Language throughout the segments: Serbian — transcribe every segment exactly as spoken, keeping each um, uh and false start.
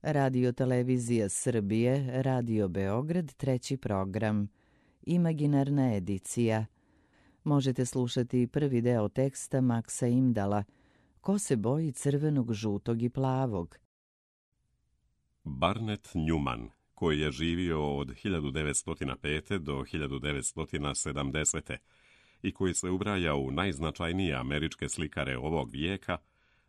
Radio Televizija Srbije, Radio Beograd, treći program. Imaginarna edicija. Možete slušati prvi deo teksta Maksa Imdala. Ko se boji crvenog, žutog i plavog? Barnett Newman, koji je živio od hiljadu devetsto pete. do hiljadu devetsto sedamdesete. i koji se ubraja u najznačajnije američke slikare ovog vijeka,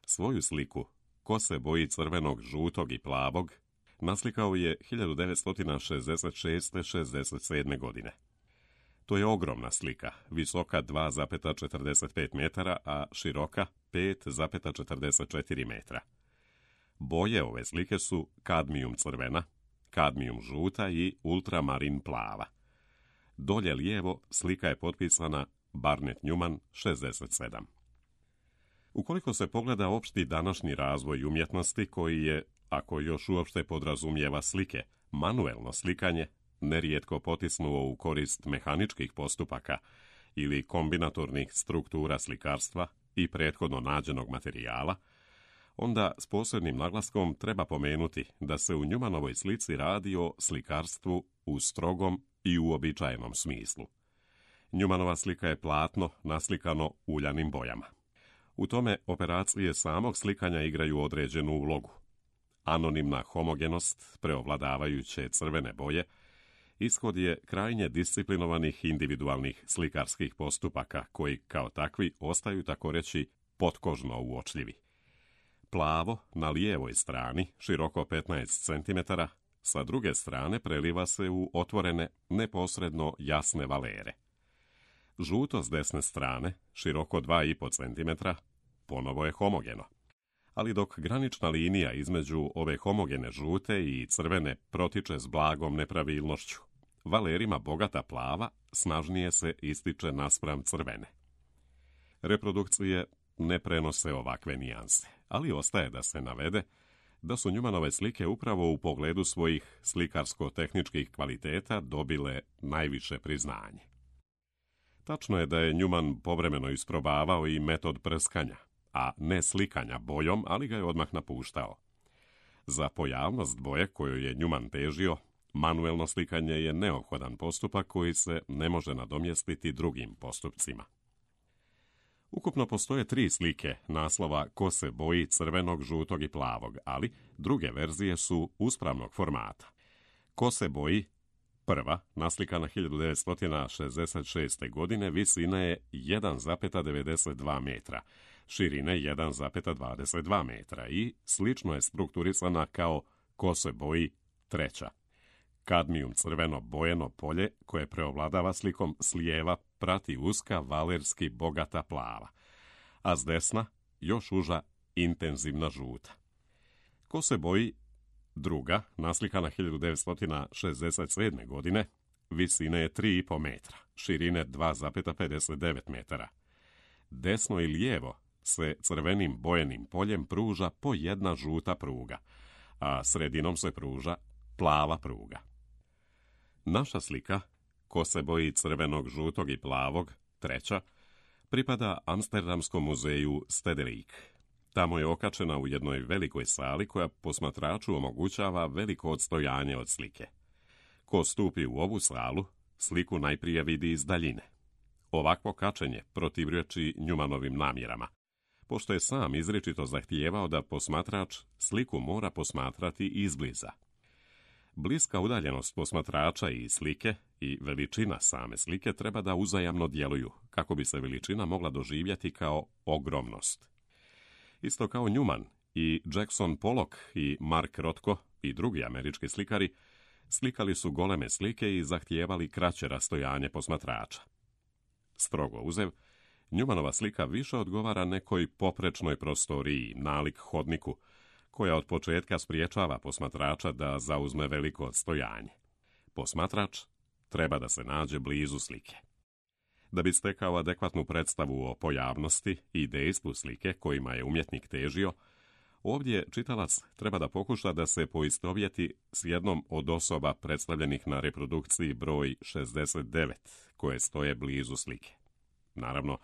svoju sliku Ko se boji crvenog, žutog i plavog naslikao je hiljadu devetsto šezdeset šeste. šezdeset sedme. godine. To je ogromna slika, visoka dva zarez četrdeset pet metara, a široka pet zarez četrdeset četiri metra. Boje ove slike su kadmijum crvena, kadmijum žuta i ultramarin plava. Dolje lijevo slika je potpisana Barnett Newman šezdeset sedam. Ukoliko se pogleda opšti današnji razvoj umjetnosti koji je, ako još uopšte podrazumijeva slike, manuelno slikanje, nerijetko potisnuo u korist mehaničkih postupaka ili kombinatornih struktura slikarstva i prethodno nađenog materijala, onda s posebnim naglaskom treba pomenuti da se u Newmanovoj slici radi o slikarstvu u strogom i uobičajenom smislu. Newmanova slika je platno naslikano uljanim bojama. U tome operacije samog slikanja igraju određenu ulogu. Anonimna homogenost preovladavajuće crvene boje ishod je krajnje disciplinovanih individualnih slikarskih postupaka koji kao takvi ostaju tako reći potkožno uočljivi. Plavo na lijevoj strani, široko petnaest centimetara, sa druge strane preliva se u otvorene, neposredno jasne valere. Žuto s desne strane, široko dva i po centimetra, ponovo je homogeno. Ali dok granična linija između ove homogene žute i crvene protiče s blagom nepravilnošću, valerima bogata plava snažnije se ističe naspram crvene. Reprodukcije ne prenose ovakve nijanse, ali ostaje da se navede da su Newmanove slike upravo u pogledu svojih slikarsko-tehničkih kvaliteta dobile najviše priznanje. Tačno je da je Newman povremeno isprobavao i metod prskanja, a ne slikanja bojom, ali ga je odmah napuštao. Za pojavnost boje koju je Newman težio, manuelno slikanje je neophodan postupak koji se ne može nadomjestiti drugim postupcima. Ukupno postoje tri slike naslova Ko se boji crvenog, žutog i plavog, ali druge verzije su uspravnog formata. Ko se boji, prva, naslikana hiljadu devetsto šezdeset šeste. godine, visina je jedan zarez devedeset dva metra, širine jedan zarez dvadeset dva metra i slično je strukturisana kao Ko se boji, treća. Kadmijum crveno bojeno polje koje preovladava slikom s lijeva prati uska valerski bogata plava, a s desna još uža intenzivna žuta. Ko se boji, druga, naslikana hiljadu devetsto šezdeset sedme. godine, visine je tri i po metra, širine dva zarez pedeset devet metara. Desno i lijevo se crvenim bojenim poljem pruža po jedna žuta pruga, a sredinom se pruža plava pruga. Naša slika, Ko se boji crvenog, žutog i plavog, treća, pripada Amsterdamskom muzeju Stedelijk. Tamo je okačena u jednoj velikoj sali koja posmatraču omogućava veliko odstojanje od slike. Ko stupi u ovu salu, sliku najprije vidi iz daljine. Ovakvo kačenje protivrječi Newmanovim namjerama, pošto je sam izričito zahtijevao da posmatrač sliku mora posmatrati izbliza. Bliska udaljenost posmatrača i slike i veličina same slike treba da uzajamno djeluju, kako bi se veličina mogla doživjeti kao ogromnost. Isto kao Newman i Jackson Pollock i Mark Rothko i drugi američki slikari slikali su goleme slike i zahtijevali kraće rastojanje posmatrača. Strogo uzev, Newmanova slika više odgovara nekoj poprečnoj prostoriji, nalik hodniku, koja od početka spriječava posmatrača da zauzme veliko odstojanje. Posmatrač treba da se nađe blizu slike. Da bi stekao adekvatnu predstavu o pojavnosti i dejstvu slike kojima je umjetnik težio, ovdje čitalac treba da pokuša da se poistovjeti s jednom od osoba predstavljenih na reprodukciji broj šezdeset devet, koje stoje blizu slike. Naravno,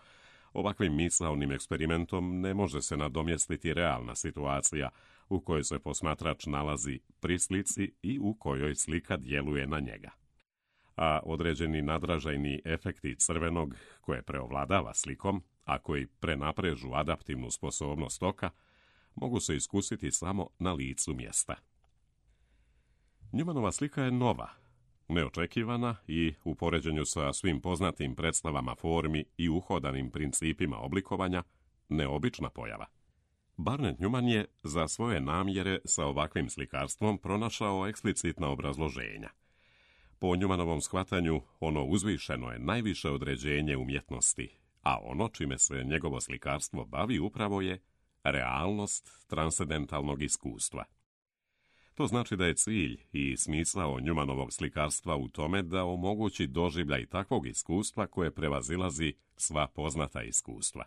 ovakvim misaonim eksperimentom ne može se nadomjestiti realna situacija, u kojoj se posmatrač nalazi pri slici i u kojoj slika djeluje na njega. A određeni nadražajni efekti crvenog koje preovladava slikom, a koji prenaprežu adaptivnu sposobnost oka, mogu se iskusiti samo na licu mjesta. Newmanova slika je nova, neočekivana i u poređenju sa svim poznatim predstavama formi i uhodanim principima oblikovanja, neobična pojava. Barnett Newman je za svoje namjere sa ovakvim slikarstvom pronašao eksplicitna obrazloženja. Po Newmanovom shvatanju, ono uzvišeno je najviše određenje umjetnosti, a ono čime se njegovo slikarstvo bavi upravo je realnost transcendentalnog iskustva. To znači da je cilj i smisao Newmanovog slikarstva u tome da omogući doživljaj takvog iskustva koje prevazilazi sva poznata iskustva.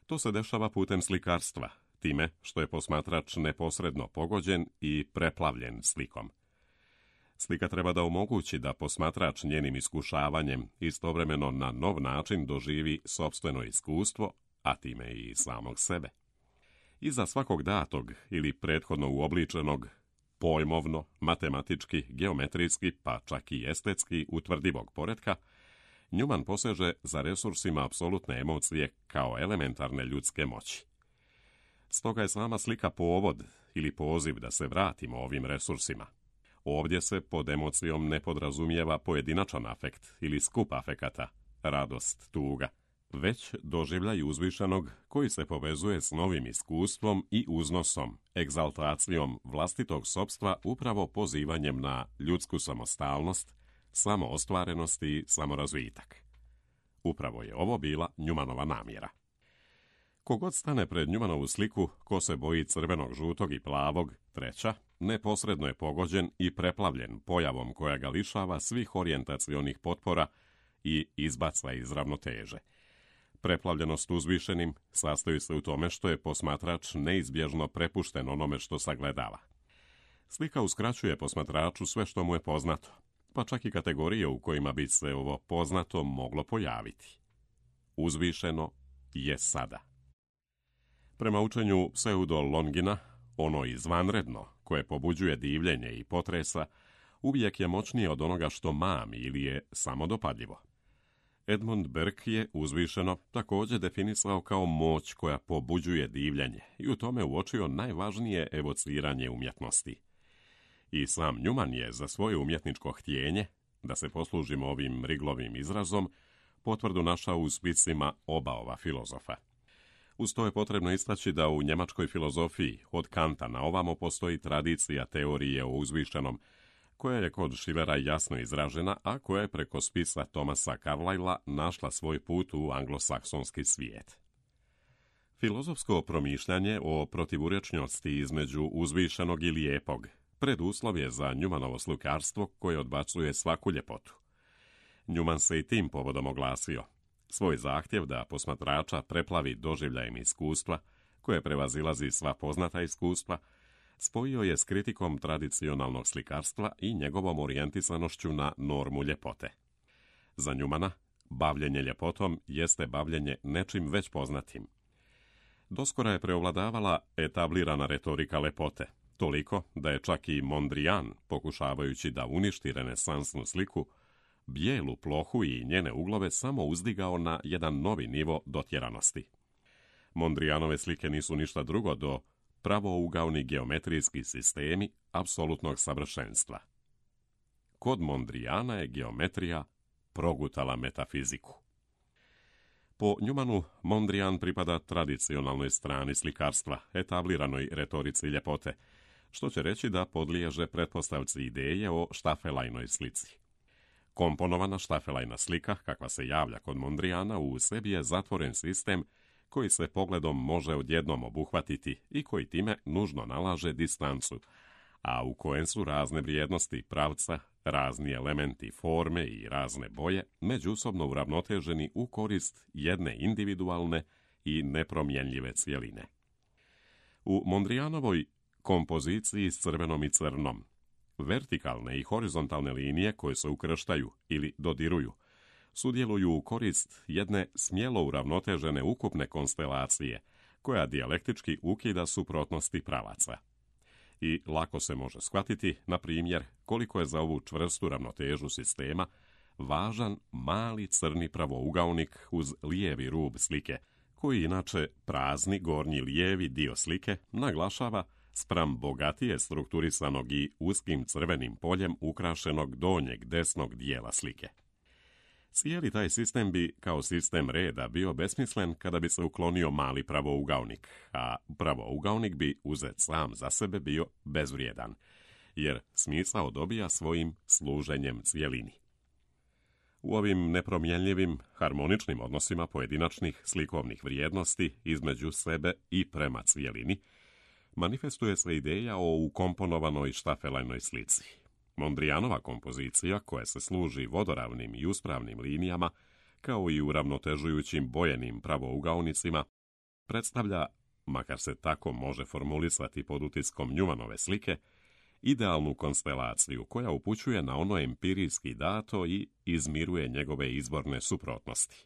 To se dešava putem slikarstva, time što je posmatrač neposredno pogođen i preplavljen slikom. Slika treba da omogući da posmatrač njenim iskušavanjem istovremeno na nov način doživi sopstveno iskustvo, a time i samog sebe. Iza svakog datog ili prethodno uobličenog, pojmovno, matematički, geometrijski, pa čak i estetski utvrdivog poretka, Newman poseže za resursima apsolutne emocije kao elementarne ljudske moći. Stoga je sama slika povod ili poziv da se vratimo ovim resursima. Ovdje se pod emocijom ne podrazumijeva pojedinačan afekt ili skup afekata, radost, tuga, već doživljaj uzvišenog koji se povezuje s novim iskustvom i uznosom, egzaltacijom vlastitog sopstva upravo pozivanjem na ljudsku samostalnost, samoostvarenost i samorazvitak. Upravo je ovo bila Newmanova namjera. Kogod stane pred Newmanovu sliku, ko se boji crvenog, žutog i plavog, treća, neposredno je pogođen i preplavljen pojavom koja ga lišava svih orijentacionih potpora i izbaca iz ravnoteže. Preplavljenost uzvišenim sastoji se u tome što je posmatrač neizbježno prepušten onome što sagledava. Slika uskraćuje posmatraču sve što mu je poznato, pa čak i kategorije u kojima bi se ovo poznato moglo pojaviti. Uzvišeno je sada. Prema učenju Pseudo Longina, ono izvanredno, koje pobuđuje divljenje i potresa, uvijek je moćnije od onoga što mami ili je samodopadljivo. Edmund Burke je uzvišeno također definisao kao moć koja pobuđuje divljenje i u tome uočio najvažnije evociranje umjetnosti. I sam Newman je za svoje umjetničko htjenje, da se poslužimo ovim Riglovim izrazom, potvrdu našao u spisima oba ova filozofa. Uz to je potrebno istaći da u njemačkoj filozofiji od Kanta na ovamo postoji tradicija teorije o uzvišenom, koja je kod Schillera jasno izražena, a koja je preko spisa Thomasa Carlyla našla svoj put u anglosaksonski svijet. Filozofsko promišljanje o protivurječnosti između uzvišenog i lijepog preduslov je za Newmanovo slikarstvo koje odbacuje svaku ljepotu. Newman se i tim povodom oglasio. Svoj zahtjev da posmatrača preplavi doživljajem iskustva, koje prevazilazi sva poznata iskustva, spojio je s kritikom tradicionalnog slikarstva i njegovom orijentisanošću na normu ljepote. Za Newmana, bavljenje ljepotom jeste bavljenje nečim već poznatim. Doskora je preovladavala etablirana retorika lepote, toliko da je čak i Mondrian, pokušavajući da uništi renesansnu sliku, bijelu plohu i njene uglove samo uzdigao na jedan novi nivo dotjeranosti. Mondrianove slike nisu ništa drugo do pravougaoni geometrijski sistemi apsolutnog savršenstva. Kod Mondriana je geometrija progutala metafiziku. Po Newmanu, Mondrian pripada tradicionalnoj strani slikarstva, etabliranoj retorici ljepote, što će reći da podliježe pretpostavci ideje o štafelajnoj slici. Komponovana štafelajna slika, kakva se javlja kod Mondriana, u sebi je zatvoren sistem koji se pogledom može odjednom obuhvatiti i koji time nužno nalaže distancu, a u kojem su razne vrijednosti pravca, razni elementi forme i razne boje međusobno uravnoteženi u korist jedne individualne i nepromjenljive cjeline. U Mondrianovoj kompoziciji s crvenom i crnom, vertikalne i horizontalne linije koje se ukrštaju ili dodiruju, sudjeluju u korist jedne smjelo uravnotežene ukupne konstelacije, koja dijalektički ukida suprotnosti pravaca. i lako se može shvatiti, na primjer, koliko je za ovu čvrstu ravnotežu sistema važan mali crni pravougaonik uz lijevi rub slike, koji inače prazni gornji lijevi dio slike naglašava spram bogatije strukturisanog i uskim crvenim poljem ukrašenog donjeg desnog dijela slike. Cijeli taj sistem bi kao sistem reda bio besmislen kada bi se uklonio mali pravougaonik, a pravougaonik bi uzet sam za sebe bio bezvrijedan, jer smisao dobija svojim služenjem cjelini. U ovim nepromjenljivim, harmoničnim odnosima pojedinačnih slikovnih vrijednosti između sebe i prema cjelini, manifestuje se ideja o ukomponovanoj štafelajnoj slici. Mondrianova kompozicija, koja se služi vodoravnim i uspravnim linijama, kao i uravnotežujućim bojenim pravougaonicima, predstavlja, makar se tako može formulisati pod utiskom Newmanove slike, idealnu konstelaciju koja upućuje na ono empirijski dato i izmiruje njegove izborne suprotnosti.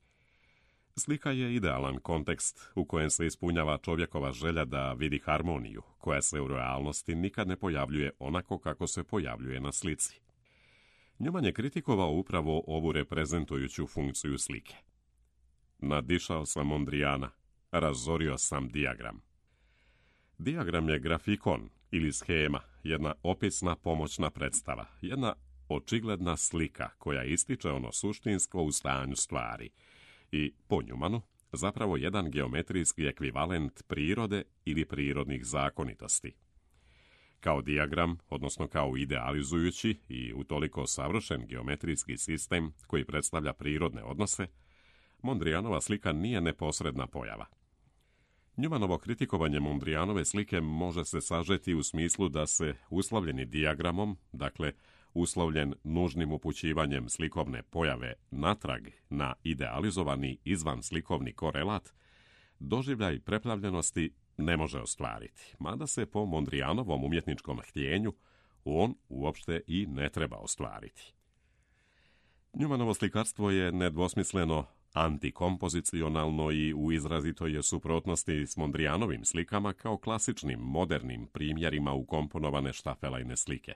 Slika je idealan kontekst u kojem se ispunjava čovjekova želja da vidi harmoniju, koja se u realnosti nikad ne pojavljuje onako kako se pojavljuje na slici. Newman je kritikovao upravo ovu reprezentujuću funkciju slike. Nadišao sam Mondriana, razorio sam dijagram. Dijagram je grafikon ili schema, jedna opisna pomoćna predstava, jedna očigledna slika koja ističe ono suštinsko u stanju stvari i, po Newmanu, zapravo jedan geometrijski ekvivalent prirode ili prirodnih zakonitosti. Kao dijagram, odnosno kao idealizujući i utoliko savršen geometrijski sistem koji predstavlja prirodne odnose, Mondrianova slika nije neposredna pojava. Newmanovo kritikovanje Mondrianove slike može se sažeti u smislu da se uslovljeni dijagramom, dakle uslovljen nužnim upućivanjem slikovne pojave natrag na idealizovani izvanslikovni korelat, doživljaj preplavljenosti ne može ostvariti, mada se po Mondrianovom umjetničkom htjenju on uopšte i ne treba ostvariti. Newmanovo slikarstvo je nedvosmisleno antikompozicionalno i u izrazitoj je suprotnosti s Mondrianovim slikama kao klasičnim modernim primjerima ukomponovane štafelajne slike.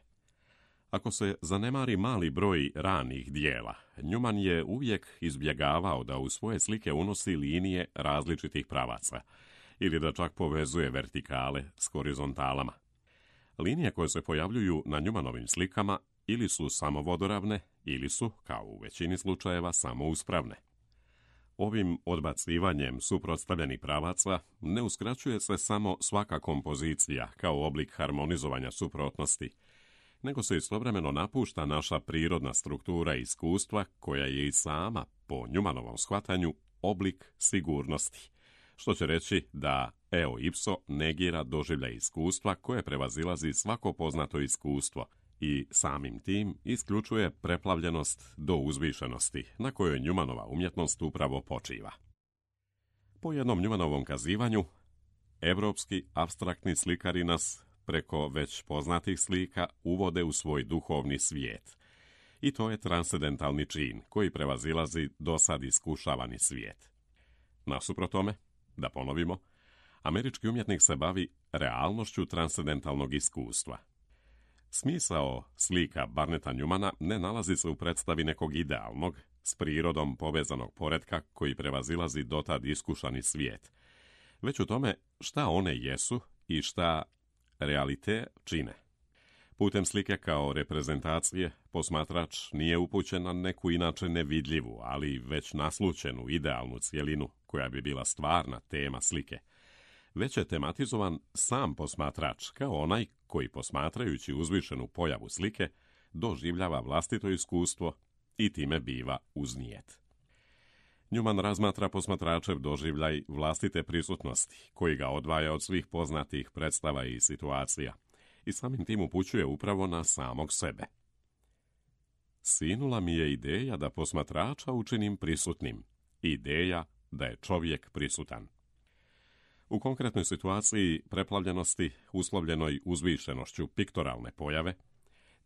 Ako se zanemari mali broj ranih dijela, Newman je uvijek izbjegavao da u svoje slike unosi linije različitih pravaca ili da čak povezuje vertikale s horizontalama. Linije koje se pojavljuju na Newmanovim slikama ili su samo vodoravne ili su, kao u većini slučajeva, samo uspravne. Ovim odbacivanjem suprotstavljenih pravaca ne uskraćuje se samo svaka kompozicija kao oblik harmonizovanja suprotnosti, nego se istovremeno napušta naša prirodna struktura iskustva koja je i sama, po Newmanovom shvatanju, oblik sigurnosti, što će reći da eo ipso negira doživljaj iskustva koje prevazilazi svako poznato iskustvo i samim tim isključuje preplavljenost do uzvišenosti na kojoj Newmanova umjetnost upravo počiva. Po jednom Newmanovom kazivanju, evropski apstraktni slikari nas preko već poznatih slika uvode u svoj duhovni svijet. I to je transcendentalni čin koji prevazilazi dosad iskušavani svijet. Nasuprot tome, da ponovimo, američki umjetnik se bavi realnošću transcendentalnog iskustva. Smisao slika Barneta Newmana ne nalazi se u predstavi nekog idealnog, s prirodom povezanog poretka koji prevazilazi dotad iskušani svijet, već u tome šta one jesu i šta realite čine. Putem slike kao reprezentacije, posmatrač nije upućen na neku inače nevidljivu, ali već naslućenu idealnu cjelinu koja bi bila stvarna tema slike, već je tematizovan sam posmatrač kao onaj koji, posmatrajući uzvišenu pojavu slike, doživljava vlastito iskustvo i time biva uznijet. Newman razmatra posmatračev doživljaj vlastite prisutnosti, koji ga odvaja od svih poznatih predstava i situacija, i samim tim upućuje upravo na samog sebe. Sinula mi je ideja da posmatrača učinim prisutnim, ideja da je čovjek prisutan. U konkretnoj situaciji preplavljenosti, uslovljenoj uzvišenošću piktoralne pojave,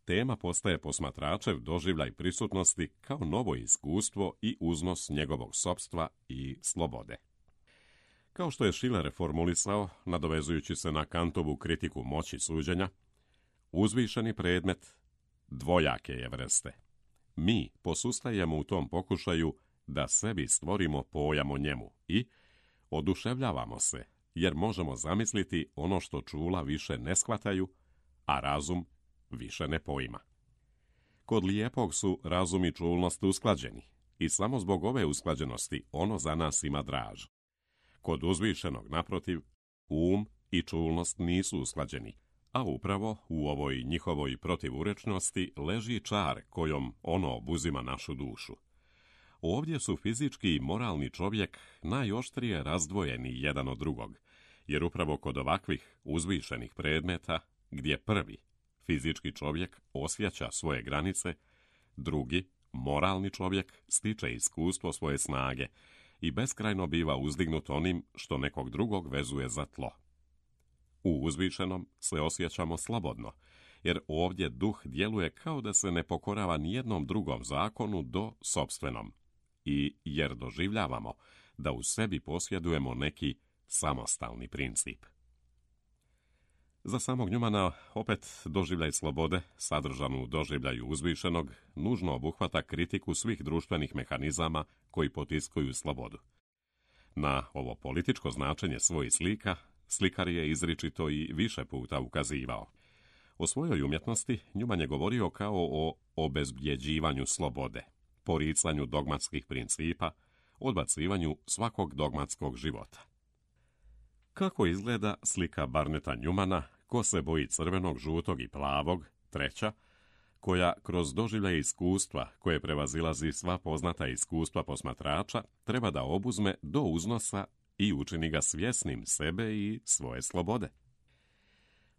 tema postaje posmatračev doživljaj prisutnosti kao novo iskustvo i uznos njegovog sopstva i slobode. Kao što je Schiller formulisao, nadovezujući se na Kantovu kritiku moći suđenja, uzvišeni predmet dvojake je vrste. Mi posustajemo u tom pokušaju da sebi stvorimo pojam o njemu i oduševljavamo se, jer možemo zamisliti ono što čula više ne shvataju, a razum više ne poima. Kod lijepog su razum i čulnost usklađeni i samo zbog ove usklađenosti ono za nas ima draž. Kod uzvišenog, naprotiv, um i čulnost nisu usklađeni, a upravo u ovoj njihovoj protivurečnosti leži čar kojom ono obuzima našu dušu. Ovdje su fizički i moralni čovjek najoštrije razdvojeni jedan od drugog, jer upravo kod ovakvih uzvišenih predmeta, gdje prvi, fizički čovjek, osjeća svoje granice, drugi, moralni čovjek, stiče iskustvo svoje snage i beskrajno biva uzdignut onim što nekog drugog vezuje za tlo. U uzvišenom se osjećamo slobodno, jer ovdje duh djeluje kao da se ne pokorava nijednom drugom zakonu do sopstvenom, i jer doživljavamo da u sebi posjedujemo neki samostalni princip. Za samog Njumana opet doživljaj slobode, sadržanu u doživljaju uzvišenog, nužno obuhvata kritiku svih društvenih mehanizama koji potiskuju slobodu. Na ovo političko značenje svojih slika, slikar je izričito i više puta ukazivao. O svojoj umjetnosti Njuman je govorio kao o obezbjeđivanju slobode, poricanju dogmatskih principa, odbacivanju svakog dogmatskog života. Kako izgleda slika Barneta Njumana, Ko se boji crvenog, žutog i plavog, treća, koja kroz doživljaje iskustva, koje prevazilazi sva poznata iskustva posmatrača, treba da obuzme do uznosa i učini ga svjesnim sebe i svoje slobode?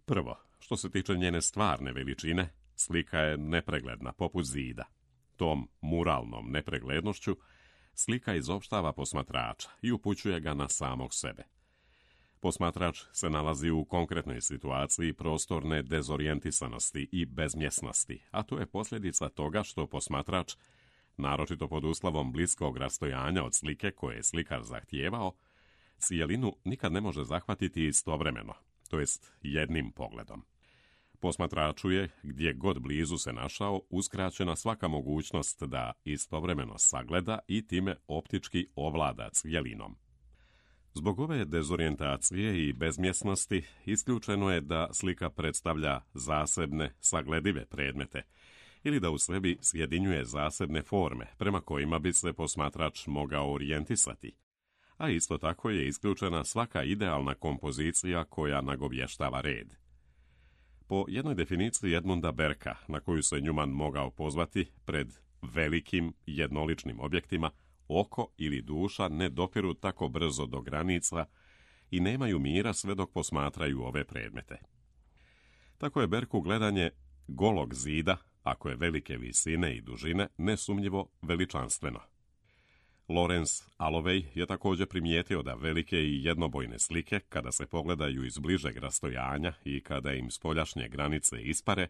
Prvo, što se tiče njene stvarne veličine, slika je nepregledna poput zida. Tom muralnom nepreglednošću slika izopštava posmatrača i upućuje ga na samog sebe. Posmatrač se nalazi u konkretnoj situaciji prostorne dezorijentisanosti i bezmjesnosti, a to je posljedica toga što posmatrač, naročito pod uslovom bliskog rastojanja od slike koje je slikar zahtijevao, cijelinu nikad ne može zahvatiti istovremeno, to jest jednim pogledom. Posmatraču je, gdje god blizu se našao, uskraćena svaka mogućnost da istovremeno sagleda i time optički ovlada cjelinom. Zbog ove dezorijentacije i bezmjesnosti isključeno je da slika predstavlja zasebne, sagledive predmete ili da u sebi sjedinjuje zasebne forme prema kojima bi se posmatrač mogao orijentisati, a isto tako je isključena svaka idealna kompozicija koja nagovještava red. Po jednoj definiciji Edmunda Berka, na koju se Njuman mogao pozvati, pred velikim jednoličnim objektima oko ili duša ne dopiru tako brzo do granica i nemaju mira sve dok posmatraju ove predmete. Tako je Berku gledanje golog zida, ako je velike visine i dužine, nesumnjivo veličanstveno. Lawrence Alloway je također primijetio da velike i jednobojne slike, kada se pogledaju iz bližeg rastojanja i kada im spoljašnje granice ispare,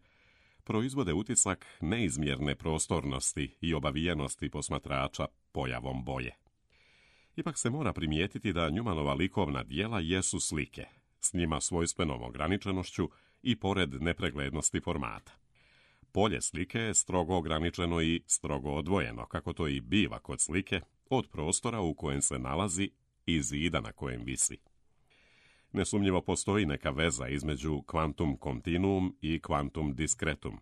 proizvode utisak neizmjerne prostornosti i obavijenosti posmatrača pojavom boje. Ipak se mora primijetiti da Njumanova likovna djela jesu slike, s njima svojstvenom ograničenošću i pored nepreglednosti formata. Polje slike je strogo ograničeno i strogo odvojeno, kako to i biva kod slike, od prostora u kojem se nalazi i zida na kojem visi. Nesumnjivo postoji neka veza između quantum continuum i quantum discretum.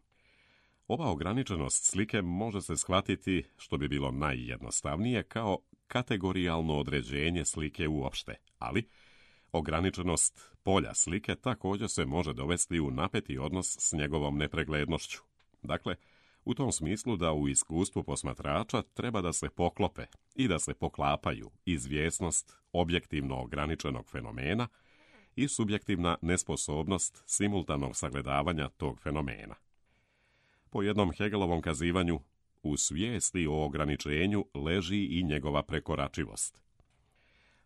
Ova ograničenost slike može se shvatiti, što bi bilo najjednostavnije, kao kategorijalno određenje slike uopšte, ali ograničenost polja slike također se može dovesti u napeti odnos s njegovom nepreglednošću. Dakle, u tom smislu da u iskustvu posmatrača treba da se poklope i da se poklapaju izvjesnost objektivno ograničenog fenomena i subjektivna nesposobnost simultanog sagledavanja tog fenomena. Po jednom Hegelovom kazivanju, u svijesti o ograničenju leži i njegova prekoračivost.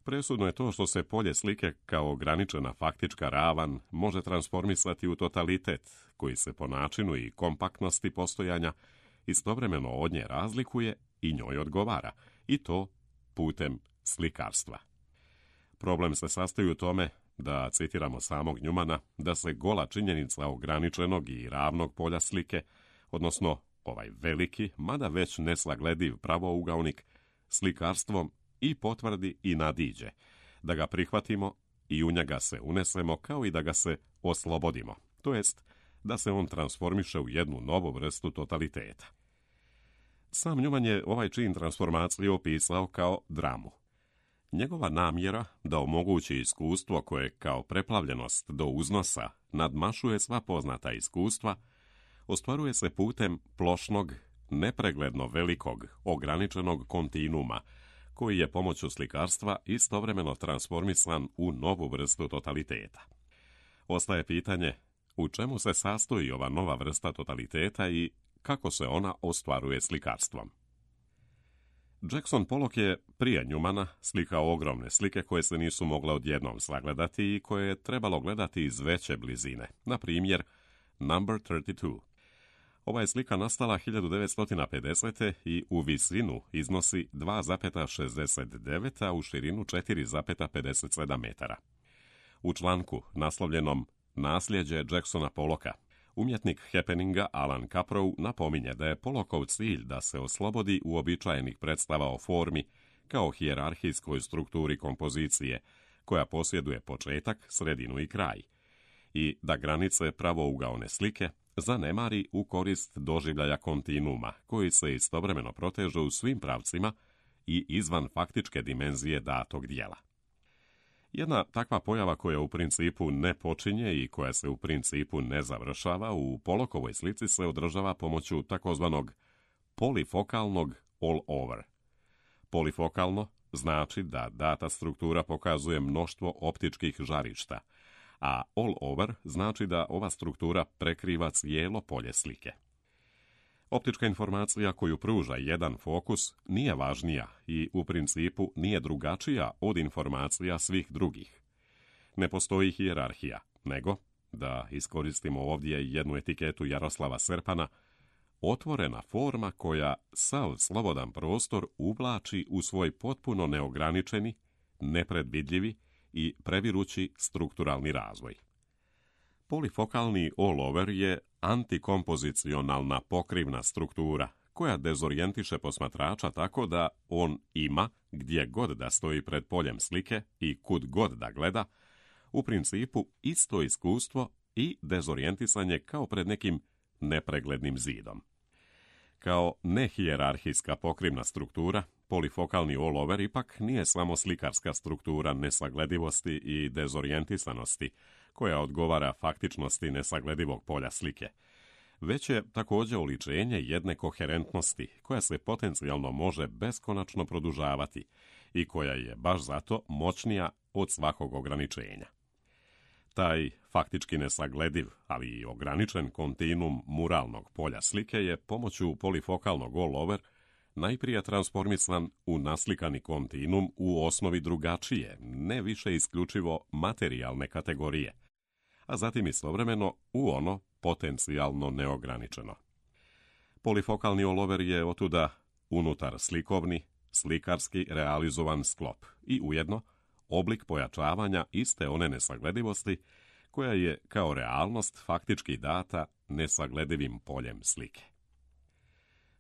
Presudno je to što se polje slike kao ograničena faktička ravan može transformisati u totalitet, koji se po načinu i kompaktnosti postojanja istovremeno od nje razlikuje i njoj odgovara, i to putem slikarstva. Problem se sastoji u tome da citiramo samog Newmana, da se gola činjenica ograničenog i ravnog polja slike, odnosno ovaj veliki, mada već nesaglediv pravougaonik, slikarstvom i potvrdi i nadiđe, da ga prihvatimo i u njega se unesemo kao i da ga se oslobodimo, to jest da se on transformiše u jednu novu vrstu totaliteta. Sam Newman je ovaj čin transformacije opisao kao dramu. Njegova namjera da omogući iskustvo koje kao preplavljenost do uznosa nadmašuje sva poznata iskustva, ostvaruje se putem plošnog, nepregledno velikog, ograničenog kontinuuma, koji je pomoću slikarstva istovremeno transformisan u novu vrstu totaliteta. Ostaje pitanje u čemu se sastoji ova nova vrsta totaliteta i kako se ona ostvaruje slikarstvom. Jackson Pollock je prije Newmana slikao ogromne slike koje se nisu mogle odjednom sagledati i koje je trebalo gledati iz veće blizine, na primjer Number trideset dva. Ova je slika nastala hiljadu devetsto pedesete. i u visinu iznosi dva zarez šezdeset devet, a u širinu četiri zarez pedeset sedam metara. U članku naslovljenom Nasljeđe Jacksona Pollocka, umjetnik happeninga Alan Caprow napominje da je Pollockov cilj da se oslobodi uobičajenih predstava o formi kao hijerarhijskoj strukturi kompozicije, koja posjeduje početak, sredinu i kraj, i da granice pravougaone slike zanemari u korist doživljaja kontinuuma, koji se istovremeno proteže u svim pravcima i izvan faktičke dimenzije datog dijela. Jedna takva pojava koja u principu ne počinje i koja se u principu ne završava u Pollockovoj slici se održava pomoću takozvanog polifokalnog all-over. Polifokalno znači da data struktura pokazuje mnoštvo optičkih žarišta, a all-over znači da ova struktura prekriva cijelo polje slike. Optička informacija koju pruža jedan fokus nije važnija i u principu nije drugačija od informacija svih drugih. Ne postoji hijerarhija, nego, da iskoristimo ovdje jednu etiketu Jaroslava Serpana, otvorena forma koja sav slobodan prostor uvlači u svoj potpuno neograničeni, nepredvidljivi i previrući strukturalni razvoj. Polifokalni all-over je antikompozicionalna pokrivna struktura koja dezorijentiše posmatrača tako da on ima, gdje god da stoji pred poljem slike i kud god da gleda, u principu isto iskustvo i dezorijentisanje kao pred nekim nepreglednim zidom. Kao nehijerarhijska pokrivna struktura, polifokalni all-over ipak nije samo slikarska struktura nesagledivosti i dezorijentisanosti, koja odgovara faktičnosti nesagledivog polja slike, već je također oličenje jedne koherentnosti koja se potencijalno može beskonačno produžavati i koja je baš zato moćnija od svakog ograničenja. Taj faktički nesaglediv, ali i ograničen kontinuum muralnog polja slike je pomoću polifokalnog all-over najprije transformisan u naslikani kontinuum u osnovi drugačije, ne više isključivo materijalne kategorije, a zatim istovremeno u ono potencijalno neograničeno. Polifokalni all-over je otuda unutar slikovni, slikarski realizovan sklop i ujedno oblik pojačavanja iste one nesagledivosti koja je kao realnost faktički data nesagledivim poljem slike.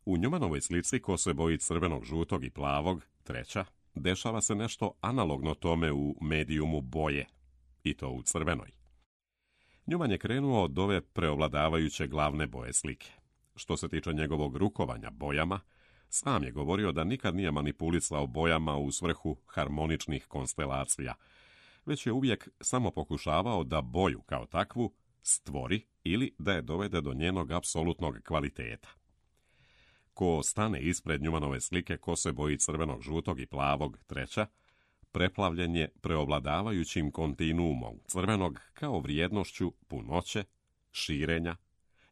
U Newmanovoj slici ko se boji crvenog, žutog i plavog, treća, dešava se nešto analogno tome u medijumu boje, i to u crvenoj. Newman je krenuo od ove preovladavajuće glavne boje slike. Što se tiče njegovog rukovanja bojama, sam je govorio da nikad nije manipulisao bojama u svrhu harmoničnih konstelacija, već je uvijek samo pokušavao da boju kao takvu stvori ili da je dovede do njenog apsolutnog kvaliteta. Ko stane ispred Newmanove slike ko se boji crvenog, žutog i plavog, treća, preplavljen je preovladavajućim kontinuumom crvenog kao vrijednošću punoće, širenja,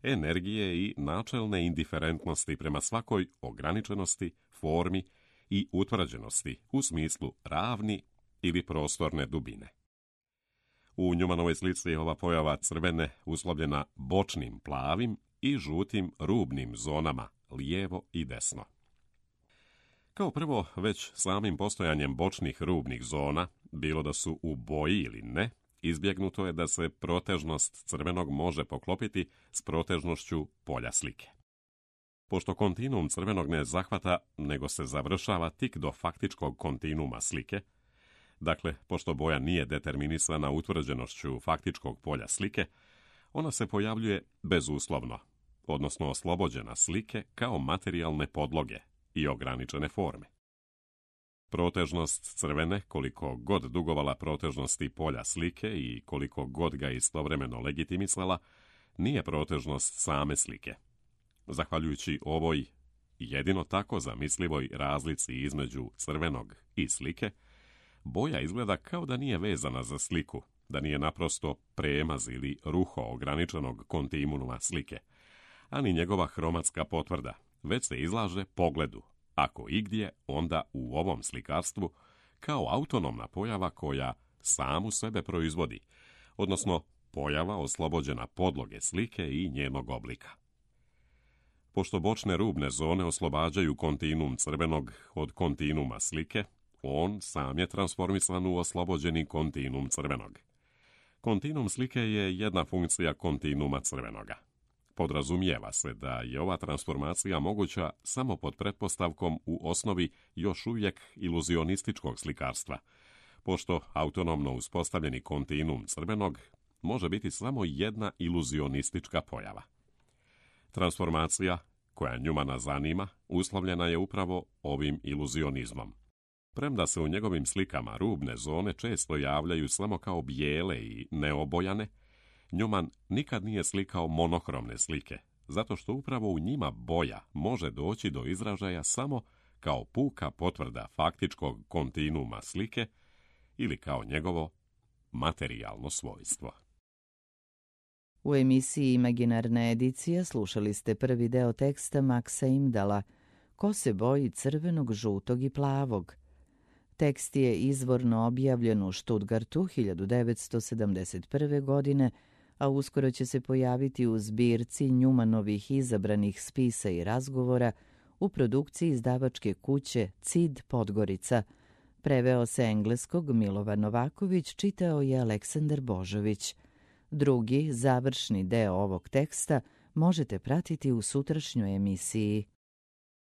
energije i načelne indiferentnosti prema svakoj ograničenosti, formi i utvrđenosti u smislu ravni ili prostorne dubine. U Newmanovoj slici je ova pojava crvene uslovljena bočnim plavim i žutim rubnim zonama, lijevo i desno. Kao prvo, već samim postojanjem bočnih rubnih zona, bilo da su u boji ili ne, izbjegnuto je da se protežnost crvenog može poklopiti s protežnošću polja slike. Pošto kontinuum crvenog ne zahvata, nego se završava tik do faktičkog kontinuuma slike, dakle, pošto boja nije determinisana utvrđenošću faktičkog polja slike, ona se pojavljuje bezuslovno, odnosno oslobođena slike kao materijalne podloge i ograničene forme. Protežnost crvene, koliko god dugovala protežnosti polja slike i koliko god ga istovremeno legitimisala, nije protežnost same slike. Zahvaljujući ovoj jedino tako zamislivoj razlici između crvenog i slike, boja izgleda kao da nije vezana za sliku, da nije naprosto premaz ili ruho ograničenog kontinuuma slike, a ni njegova hromatska potvrda, već se izlaže pogledu, ako igdje, onda u ovom slikarstvu, kao autonomna pojava koja samu sebe proizvodi, odnosno pojava oslobođena podloge slike i njenog oblika. Pošto bočne rubne zone oslobađaju kontinuum crvenog od kontinuuma slike, on sam je transformisan u oslobođeni kontinuum crvenog. Kontinuum slike je jedna funkcija kontinuuma crvenoga. Podrazumijeva se da je ova transformacija moguća samo pod pretpostavkom u osnovi još uvijek iluzionističkog slikarstva, pošto autonomno uspostavljeni kontinuum crvenog može biti samo jedna iluzionistička pojava. Transformacija, koja Newmana zanima, uslovljena je upravo ovim iluzionizmom. Premda se u njegovim slikama rubne zone često javljaju samo kao bijele i neobojane, Newman nikad nije slikao monohromne slike, zato što upravo u njima boja može doći do izražaja samo kao puka potvrda faktičkog kontinuuma slike ili kao njegovo materijalno svojstvo. U emisiji Imaginarna edicija slušali ste prvi deo teksta Maxa Imdala Ko se boji crvenog, žutog i plavog. Tekst je izvorno objavljen u Stuttgartu hiljadu devetsto sedamdeset prve. godine, a uskoro će se pojaviti u zbirci Newmanovih izabranih spisa i razgovora u produkciji izdavačke kuće C I D Podgorica. Preveo se engleskog Milovan Novaković, čitao je Aleksandar Božović. Drugi, završni deo ovog teksta možete pratiti u sutrašnjoj emisiji.